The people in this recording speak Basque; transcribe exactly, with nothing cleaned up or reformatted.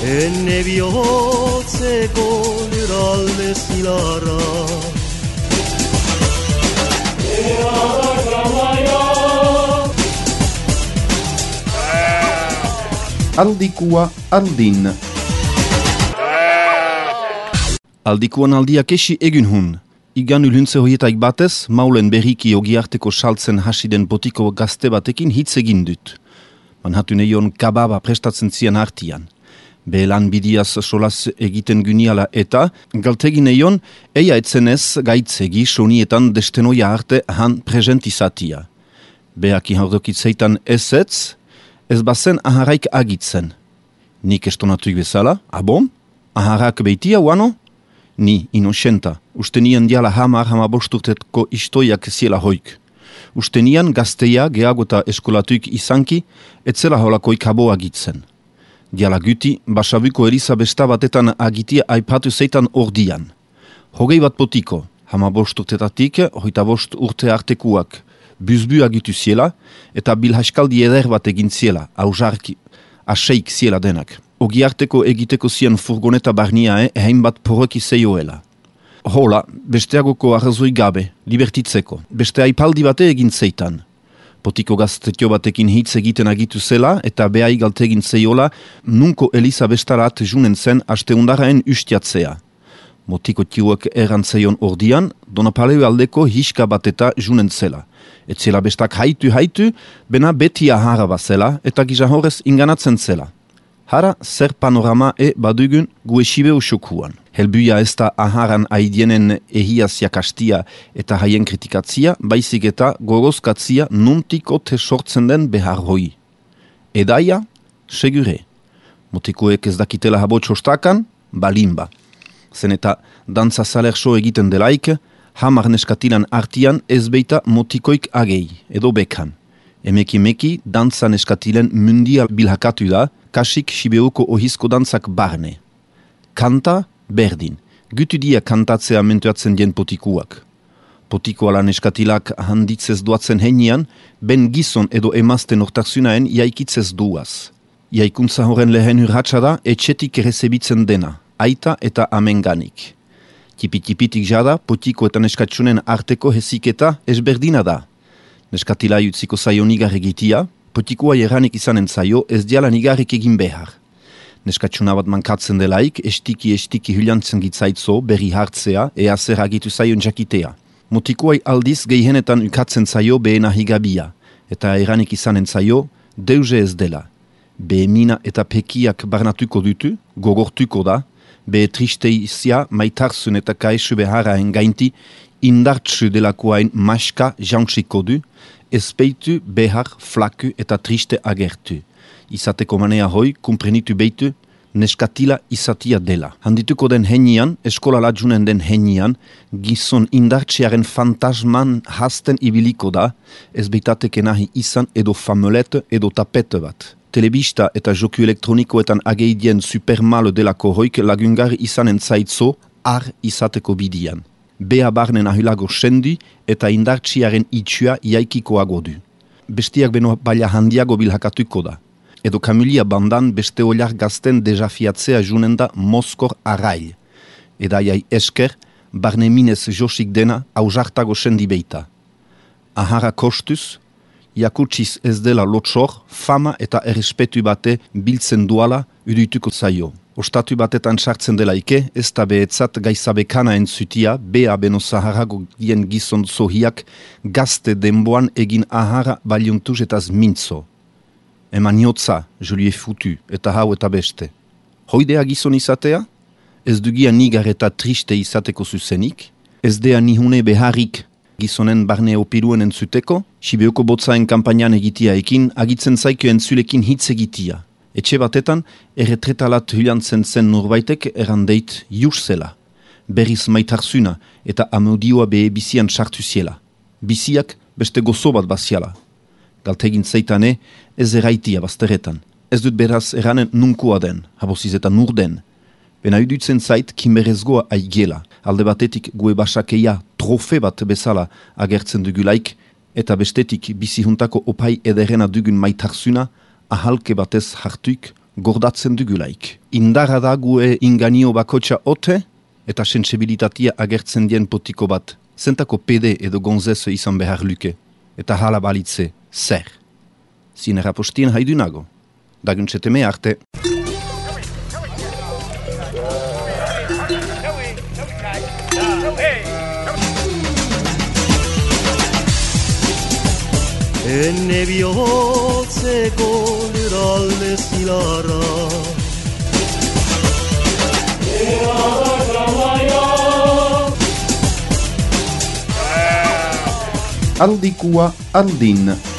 Enne bihotzeko lurralde zilarra Aldikua aldin. Aldikuan aldiak esi egun hun. Igan ulhuntze horietaik batez, maulen berriki ogiarteko saltzen hasiden botiko gazte batekin hitz egin dut. Manhatun eion kababa prestatzen zian hartian. Behelan bidiaz solaz egiten gyniala eta, galtegin eion, eia etzenez gaitzegi sonietan destenoia arte han presentizatia. Beaki hardokitzeitan ezetz, ez bazen aharaik agitzen. Nik estonatuik bezala, abon? Aharak beitia, uano? Ni, inocenta, ustenian diala hamar hamabosturtetko istoiak ziela hoik. Ustenian gazteia geagota eskolatuik izanki, etzela holakoik habo agitzen. Diala guti, basabuko eriza besta batetan agitia aipatu zeitan ordian. Hogei bat potiko, hamabosturtetatik, hoita bost urte artekuak, buzbu agitu ziela, eta bilhaskaldi eder bat egin ziela, hausarki, aseik ziela denak. Ogiarteko egiteko zien furgoneta barniae hein bat porroki zeioela. Hola, besteagoko arrazoi gabe, libertitzeko, beste aipaldi bate egin zeitan. Potiko gaztetio batekin hitz egiten agitu zela eta behai galtegin zeiola nunko Eliza bestarat junen zen asteundaraen ustiatzea. Motiko tiuak errantzeion ordian, Donapaleu aldeko hiska bateta junen zela. Etzela bestak haitu haitu, bena beti ahara bazela eta gizahorez inganatzen zela. Hara zer panorama e badugun guesibeu xokuan. Helbuia ez da aharan aidienen ehiazia kastia eta haien kritikatzia, baizik eta gogozkatzia nuntiko te sortzen den behar hoi. Edaia, segure. Motikoek ez dakitela habo txostakan, balimba. Zen eta dantza salerso egiten delaik, hamar neskatilan artian ez beita motikoik agei, edo bekan. Emeki-meki dantza neskatilen mundial bilhakatu da, kasik Sibeuko ohizko dantzak barne. Kanta, berdin. Gutu dia kantatzea mentuatzen dien potikuak. Potikoala neskatilak handitzez duatzen henian, ben gizon edo emazten ortaksunaen jaikitzez duaz. Jaikuntza horren lehen urratsa da, etxetik rezebitzen dena, aita eta amenganik. Tipi-tipitik jada, potiko eta neskatsunen arteko heziketa ezberdina da. Neskatila utziko zaio nigar egitia, potikoa erranik izanen zaio ez diala nigarrik egin behar. Neskatsuna bat mankatzen delaik, estiki-estiki hylantzen gitzaitzo, berri hartzea, ea zer agitu zaion jakitea. Motikoai aldiz gehienetan ukatzen zaio behena higabia, eta erranik izanen zaio, deuze ez dela. Behemina eta pekiak barnatuko dutu, gogortuko da, behe tristeizia maitarzun eta kaesu beharaen gainti, indartsu delakoain maska jantziko du, ezpeitu behar flaku eta triste agertu. Izateko manea hoi, kumprenitu beitu, neskatila izatia dela. Handituko den henian, eskola lajunen den henian, gizon indartsearen fantasman hasten ibiliko da, ez beitateke nahi izan edo famelete edo tapete bat. Telebista eta joku elektronikoetan ageidien supermalo delako hoik lagungari izanen zaitzo, ar izateko bidian. Bea barnen ahulago sendi eta indartsiaren itxua iaikikoago du. Bestiak beno baila handiago bilhakatuko da. Edo Kamilia bandan beste oliar gazten dejafiatzea junen da Moskor arail. Edaiai esker, barne minez josik dena hausartago sendi beita. Ahara kostuz, jakutsiz ez dela lotsor, fama eta errespetu bate biltzen duala uduituko zaio. Ostatu batetan sartzen delaike, ez da behetzat gaizabekana entzutia, bea beno zaharago dien gizon zohiak gazte denboan egin ahara baliuntuz etaz mintzo. Eman jotza, Julie futu, eta hau eta beste. Hoidea gizon izatea? Ez dugia nigar eta triste izateko zuzenik? Ez dea nihune beharrik gizonen barne opiruen entzuteko? Sibeuko botzaen kampainan egitia ekin, agitzen zaiko entzulekin hitz egitia. Etxe batetan, erretretalat hylantzen zen norbaitek errandeit jus zela. Berriz maitarzuna eta amodioa behe bizian sartu ziela. Biziak beste gozo bat baziala. Galtegin zeitane, ez erraitia bazteretan. Ez dut beraz eranen nunkua den, haboziz eta nur den. Bena idutzen zait kimerezgoa aigela. Alde batetik gue basakeia trofe bat bezala agertzen dugulaik, eta bestetik bizihuntako opai ederena dugun maitarsuna ahalke batez hartuik gordatzen dugulaik. Indarra da gue inganio bakotxa ote, eta sensibilitatea agertzen dien potiko bat. Zentako pede edo gonzese izan behar luke, eta hala balitze zer. Zinera postien haidunago. Daguntzeteme arte. Enne bihotzeko lurralde zilarra Aldikua andin.